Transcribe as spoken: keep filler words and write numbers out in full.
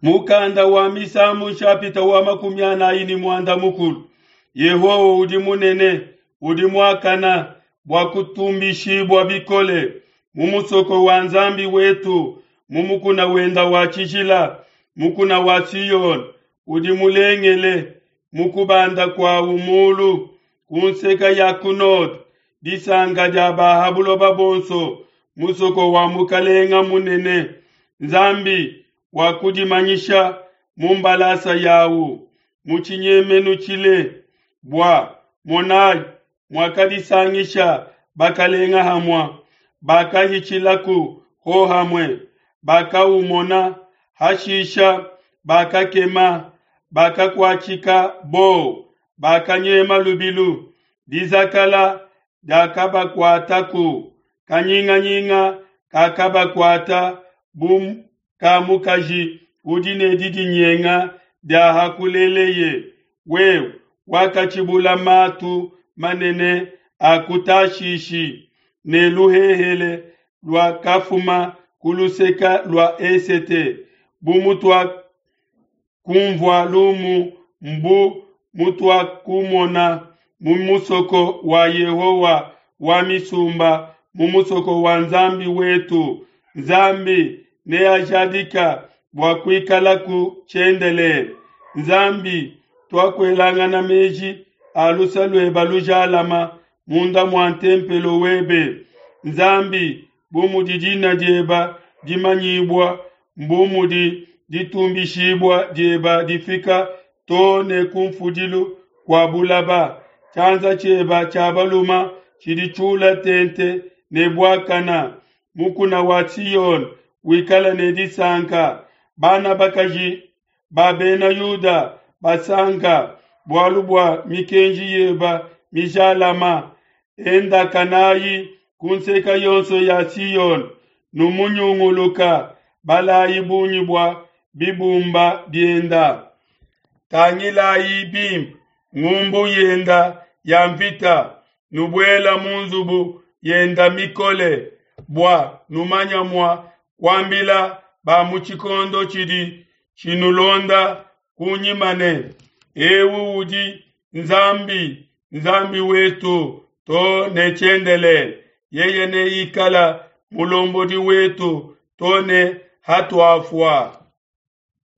Mukanda wa Misambu nshapita wa makumi anayi ne muanda mukulu. Yehowa udi munene, udi muakana bua kutumbishibua bikole mu musoko wa Nzambi wetu, mu mukuna wenda wa tshijila, mukuna wa Siyone udi mulengele mu kubanda kwawu mulu ku nseka ya ku node, disanka dia ba ha buloba bonso, musoko wa mukalenga munene. Nzambi wakudimanyisha mu mbalasa yawu mu tshinyemenu tshile, bua monayi muakadisangisha bakalenga hamua, bakahitshilaku hohamue, bakaumona, hashisha bakakema, bakakuatshika bowa, bakanyema lubilu, dizakala diakabakuataku, kanyinganyinga kakabakuata bu ka mukaji udi ne didinyenga dia hakuleleye. Wewe wakatshibula matu manene a ku Tashishi, ne luhehele luakafuma ku luseke lua esete. Bu mutuakunvua lumu mbu mutuakumona mu musoko wa Yehowa wa misumba, mu musoko wa Nzambi wetu. Nzambi neajadika bua kuikalaku tshiendelele. Nzambi, tuakuelangana meji a luse luebe lujalama munda mua ntempelo webe. Nzambi, bu mudi dina diebe dimanyibua, mbu mudi ditumbishibua diebe difika to ne kunfudilu kua bulaba. Tshianza tshiebe tshia baluma tshidi tshiula tente ne buakana. Mukuna wa Siyone wikala ne disanka, bana bakaji ba bena Yuda basanka bualu bua mikenji yeba mijalama. Endakanayi ku nseka yonso ya Siyone, numunyunguluka, balayi bungi bua bibumba bienda. Tangilayi bimpe ngumbu yenda ya mvita, nubuela mu nzubu yenda mikole, bua numanya mua kuambila ba mu tshikondo tshidi tshinulonda kunyima ne, ewu udi Nzambi, Nzambi wetu to ne tshiendelele. Yeye neikala mulombodi wetu to ne hatuafua.